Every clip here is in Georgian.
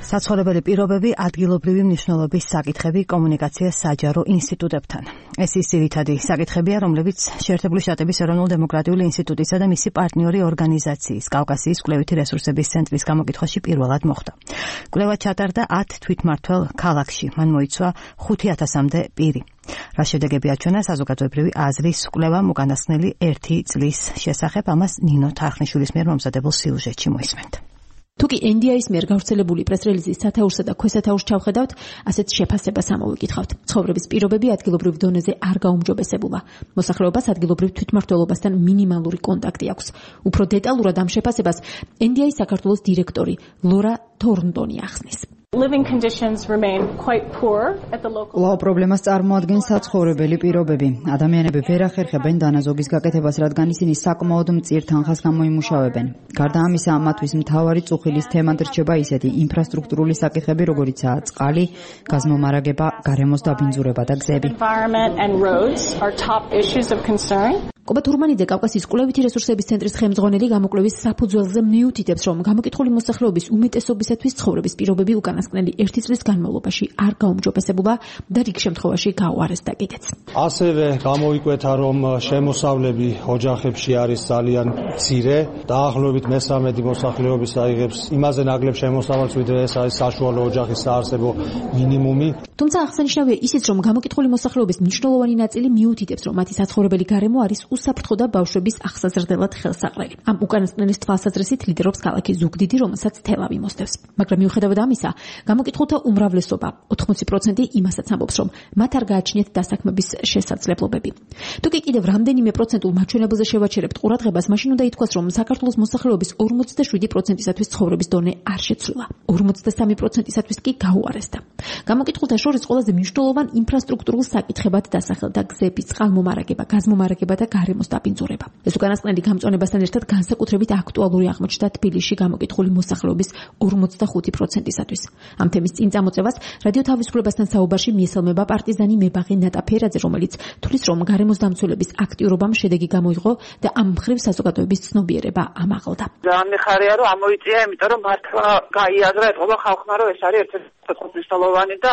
საცხოვრებელი პირობები, ადგილობრივი მნიშვნელობის საკითხები კომუნიკაციას საჯარო ინსტიტუტებთან. ეს ის ძირითადი საკითხებია, რომლებიც შეერთებული შტატების ეროვნულ დემოკრატიული ინსტიტუტისა და მისი პარტნიორი ორგანიზაციის კავკასიის კვლევითი რესურსების ცენტრის გამოკითხვაში პირველად მოხდა. კვლევა ჩატარდა 10 თვითმმართველ ქალაქში, მან მოიცვა 5,000-მდე პირი. რა შედეგები აჩვენა საზოგადოებრივი აზრის კვლევამ უკანასკნელი 1 წლის შესახებ, ამას ნინო თარხნიშვილის მიერ მომზადებულ სიუჟეტში მოისმენთ. თუკი NDI-ის მიერ გავრცელებული პრეს-რელიზის სათაურსა და ქვესათაურს ჩავხედავთ, ასეთ შეფასებას ამოვიკითხავთ. ცხოვრების პირობები ადგილობრივ დონეზე არ გაუმჯობესებულა. მოსახლეობას ადგილობრივ თვითმმართველობასთან მინიმალური კონტაქტი აქვს. უფრო დეტალურად ამ შეფასებას NDI საქართველოს დირექტორი ლორა თორნტონი ახსნის. კვლავ პრობლემას წარმოადგენს საცხოვრებელი პირობები. ადამიანები ვერ ახერხებენ დანაზოგის გაკეთებას, რადგან ისინი საკმაოდ მწირ თანხას გამოიმუშავებენ. გარდა ამისა, მათთვის მთავარი წუხილის თემად რჩება ისეთი ინფრასტრუქტურული საკითხები, როგორიცაა წყალი, გაზმომარაგება, გარემოს დაბინძურება და გზები. კობა თურმანიძე კავკასიის კვლევითი რესურსების ცენტრის ხელმძღვანელი გამოკვლევის საფუძველზე მიუთითებს, რომ გამოკითხული მოსახლეობის უმეტესობისათვის ცხოვრების პირობები უკანასკნელი 1 წლის განმავლობაში არ გაუმჯობესებულა და რიგ შემთხვევაში გაუარესდა კიდეც. ასევე გამოიკვეთა, რომ შემოსავლები ოჯახებში არის ძალიან მცირე, დაახლოებით მე-13 მოსახლეობის აიღებს იმაზე ნაკლებ შემოსავალს, ვიდრე ეს არის საშუალო ოჯახის საარსებო მინიმუმი. თუმცა აღსანიშნავია ისიც, რომ გამოკითხული მოსახლეობის მნიშვნელოვანი ნაწილი მიუთითებს, რომ მათი საცხოვრებელი გარემო არის უსაფრთხო და ბავშვების აღსაზრდელად ხელსაყრელი. ამ უკანასკნელის თვალსაზრისით ლიდერობს ქალაქი ზუგდიდი, რომელსაც თელავი მოსდევს. მაგრამ მიუხედავად ამისა, გამოკითხულთა უმრავლესობა 80% იმასაც ამბობს, რომ მათ არ გააჩნიათ დასაქმების შესაძლებლობები. თუკი კიდევ რამდენიმე პროცენტულ მაჩვენებელზე შევაჩერებთ ყურადღებას, მაშინ უნდა ითქვას, რომ საქართველოს მოსახლეობის 47%-ისათვის ცხოვრების დონე არ შეცვლილა. 53%-ისათვის კი გაუარესდა. გამოკითხულთა შორის ყველაზე მნიშვნელოვან ინფრასტრუქტურულ საკითხებად დასახელდა გზები, წყალმომარაგება, გაზმომარაგება და გარემოს დაბინძურება. ეს უკანასკნელი გამწვანებასთან ერთად განსაკუთრებით აქტუალური აღმოჩნდა თბილისში გამოკითხული მოსახლეობის 45%-ისათვის. ამ თემის წინ წამოწევას რადიო თავისუფლებასთან საუბარში მიესალმება პარტიზანი მებაღე ნატა ფერაძე, რომელიც თვლის, რომ გარემოს დამცველების აქტიურობამ შედეგი გამოიღო და ამ მხრივ საზოგადოების ცნობიერება ამაღლდა. ძალიან მიხარია, რომ ამოიწია, იმიტომ რომ მართლა გაიაზრა ეთყობა ხალხმა, რომ ეს არის ერთ-ერთი მნიშვნელოვანი და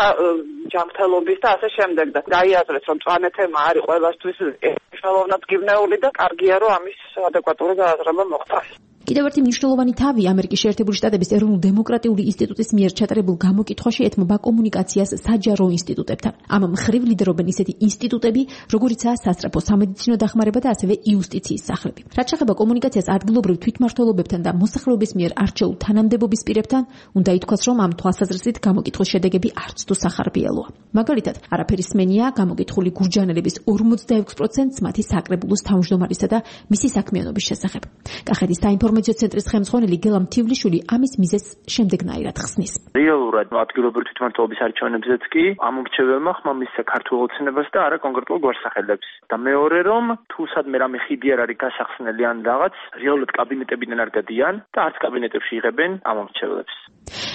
ჯანმრთელობის და ასე შემდეგ და გაიაზრეს, რომ მწვანე თემა არის ყველასთვის მნიშვნელოვნად გიბნეული და კარგია, რომ ამის ადეკვატური გააზრება მოხდა. კიდევ ერთი მნიშვნელოვანი თავი ამერიკის შეერთებული შტატების ეროვნულ დემოკრატიული ინსტიტუტის მიერ ჩატარებულ გამოკითხვაში ეთმობა კომუნიკაციას საჯარო ინსტიტუტებთან. ამ მხრივ ლიდერობენ ისეთი ინსტიტუტები, როგორიცაა სასწრაფო სამედიცინო დახმარება და ასევე იუსტიციის სახლები. რაც შეეხება კომუნიკაციას ადგილობრივ თვითმმართველობებთან და მოსახლეობის მიერ არჩეულ თანამდებობის პირებთან, უნდა ითქვას, რომ ამ თვალსაზრისით გამოკითხვის შედეგები არც თუ სახარბიელოა. მაგალითად, არაფერი სმენია გამოკითხული გურჯანელების 46%-ს მათი საკრებულოს თავმჯდომარისა და მისი საქმიანობის შესახებ. კახეთის საინფორმაციო ცენტრის ხელმძღვანელი გელა მთივლიშვილი ამის მიზეზს შემდეგნაირად ხსნის. რეალურად ადგილობრივი თვითმმართველობის არჩევნებზეც კი ამ მრჩეველმა ხმამის საქართველოს ოცნებას და არა კონკრეტულ გვარსახელებს. და მეორე რომ თუ სადმე რამე ხიდი არ არის გასახსნელი ან რაღაც, რეალურად კაბინეტებიდან არ გადიან და არც კაბინეტებში იღებენ ამ მრჩეველებს.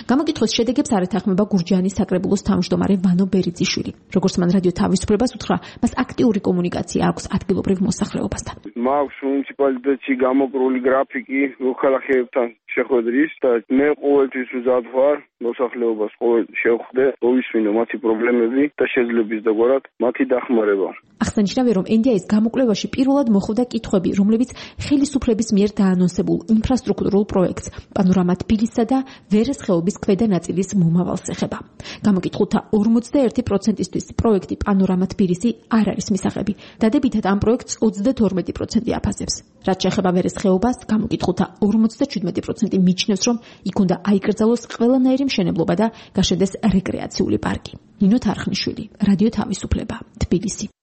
გამოკითხვის შედეგებს არ ეთანხმება გურჯაანის საკრებულოს თავმჯდომარე ვანო ბერიძიშვილი. როგორც მან რადიო თავისუფლებას უთხრა, მას აქტიური კომუნიკაცია აქვს ადგილობრივ მოსახლეობასთან. მაქვს მუნიციპალიტეტში გამოკრული გრაფიკი მოქალაქეებთან შეხვედრის და მე ყოველთვის უზად ვარ მოსახლეობას ყოველ შევხვდე, მოვისმინო მათი პრობლემები და შეძლებლის დაგვარად მათი დახმარება. აღსანიშნავია, რომ NDI-ის გამოკვლევაში პირველად მოხვდა კითხვები, რომლებიც ხელისუფლების მიერ დაანონსებულ ინფრასტრუქტურულ პროექტს პანორამა თბილისსა და ვერეს ხეობის ქვედა ნაწილის მომავალს ეხება. გამოკითხულთა 41%-ისთვის პროექტი პანორამა თბილისი არ არის მისაღები. დადებითად ამ პროექტს 32% აფასებს. რაც შეეხება ვერეს ხეობას, გამოკითხულთა 57% მიჩნევს, რომ იქ უნდა აიკრძალოს ყველანაირი მშენებლობა და გაშენდეს რეკრეაციული პარკი. ნინო თარხნიშვილი, რადიო თავისუფლება, თბილისი.